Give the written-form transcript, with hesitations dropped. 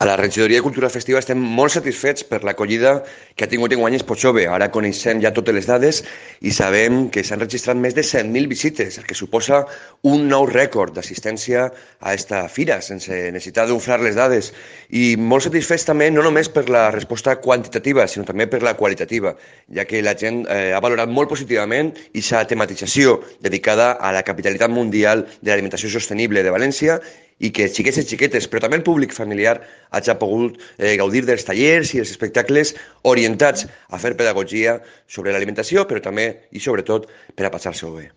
A la regidoria de Cultura Festiva estem molt satisfets per l'acollida que ha tingut enguany Expo-Jove. Ara coneixem ja totes les dades i sabem que s'han registrat més de 100.000 visites, el que suposa un nou rècord d'assistència a esta fira, sense necessitar d'unflar les dades. I molt satisfets també no només per la resposta quantitativa, sinó també per la qualitativa, ja que la gent ha valorat molt positivament aquesta tematització dedicada a la capitalitat mundial de l'alimentació sostenible de València i que xiquets i xiquetes, però també el públic familiar, hagi pogut gaudir dels tallers i els espectacles orientats a fer pedagogia sobre l'alimentació, però també i sobretot per a passar-se-ho bé.